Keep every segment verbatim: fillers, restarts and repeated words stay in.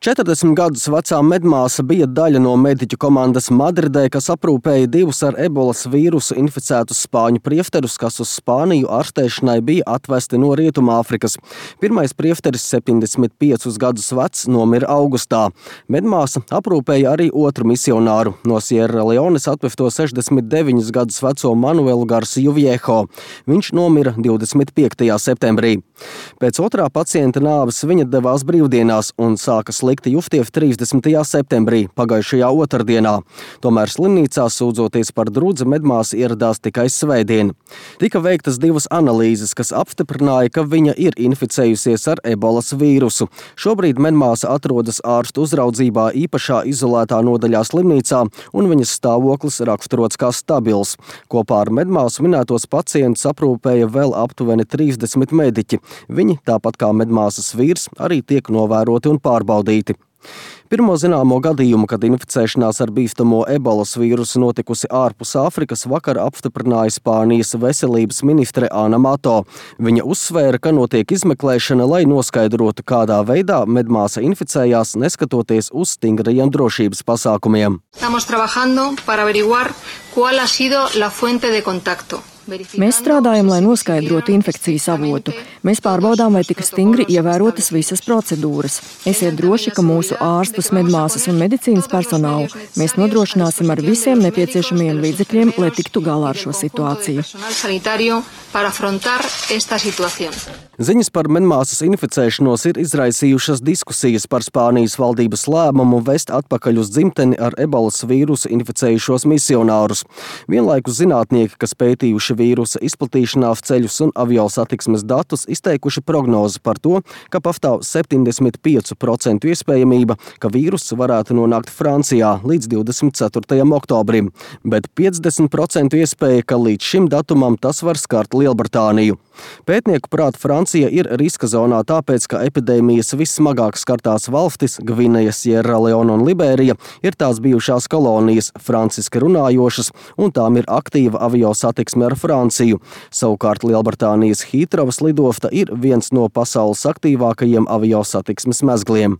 četrdesmit gadus vecā medmāsa bija daļa no mediķu komandas Madridē, kas aprūpēja divus ar ebolas vīrusu inficētus spāņu priefterus, kas uz Spāniju ārstēšanai bija atvesti no Rietumāfrikas. Pirmais priefteris, septiņdesmit piecus gadus vecs, nomira augustā. Medmāsa aprūpēja arī otru misionāru, no Sierra Leones atvefto sešdesmit deviņus gadus veco Manuelu Garciju Viejo. Viņš nomira divdesmit piektajā septembrī. Pēc otrā pacienta nāves viņa devās brīvdienās un sāka slikti justies trīsdesmitajā septembrī, pagājušajā otrdienā. Tomēr slimnīcā sūdzoties par drudzi medmāsa ieradās tikai svētdien. Tika veiktas divas analīzes, kas apstiprināja, ka viņa ir inficējusies ar ebolas vīrusu. Šobrīd medmāsa atrodas ārstu uzraudzībā īpašā izolētā nodaļā slimnīcā, un viņas stāvoklis raksturots kā stabils. Kopā ar medmāsu minētos pacientus aprūpēja vēl aptuveni trīsdesmit mediķi. Viņi, tāpat kā medmāsas vīrs, arī tiek novēroti un pārbaudīti. Pirmo zināmo gadījumu, kad inficēšanās ar bīstamo ebolas vīrusu notikusi ārpus Āfrikas, vakar apstiprināja Spānijas veselības ministre Ana Mato. Viņa uzsvēra, ka notiek izmeklēšana, lai noskaidrotu, kādā veidā medmāsa inficējās, neskatoties uz stingrajiem drošības pasākumiem. Estamos trabajando para averiguar cuál ha sido la fuente de contacto. Mēs strādājam, lai noskaidrotu infekcijas avotu. Mēs pārbaudām, vai tika stingri ievērotas visas procedūras. Esiet droši, ka mūsu ārstus, medmāsas un medicīnas personālu mēs nodrošināsim ar visiem nepieciešamajiem līdzekļiem, lai tiktu galā ar šo situāciju. Ziņas par medmāsas inficēšanos ir izraisījušas diskusijas par Spānijas valdības lēmumu vest atpakaļ uz dzimteni ar ebolas vīrusu inficējušos misionārus. Vienlaikus zinātnieki, kas pētījuši vīrusa izplatīšanās ceļus un avio satiksmes datus, izteikuši prognozi par to, ka pastāv septiņdesmit pieci procenti iespējamība, ka vīruss varētu nonākt Francijā līdz divdesmit ceturtajam oktobrim, bet piecdesmit procenti iespēja, ka līdz šim datumam tas var skart Lielbritāniju. Pētnieku prāt Francija ir riska zonā tāpēc, ka epidēmijas vissmagāk skartās valstis Gvineja, Sierra Leone un Liberija ir tās bijušās kolonijas, franciski runājošas, un tām ir aktīva avio satiksme ar Franciju. Savukārt Lielbritānijas Hītrovas lidostā ir viens no pasaules aktīvākajiem avio satiksmes mezgliem.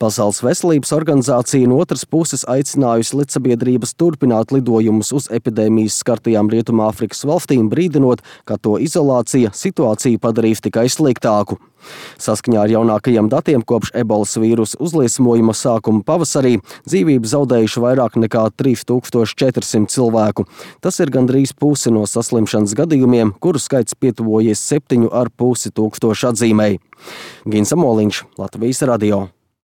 Pasaules veselības organizācija no otras puses aicinājusi lidsabiedrības turpināt lidojumus uz epidēmijas skartajām Rietumāfrikas valstīm, brīdinot, ka to izolācija situāciju padarīs tikai sliktāku. Saskaņā ar jaunākajiem datiem kopš ebolas vīrusa uzliesmojuma sākuma pavasarī dzīvību zaudējuši vairāk nekā trīs tūkstoši četri simti cilvēku. Tas ir gandrīz pusi no saslimšanas gadījumiem, kuru skaits pietuvojies septiņu ar pusi tūkstošu atzīmei. Gins Amoliņš, Latvijas radio.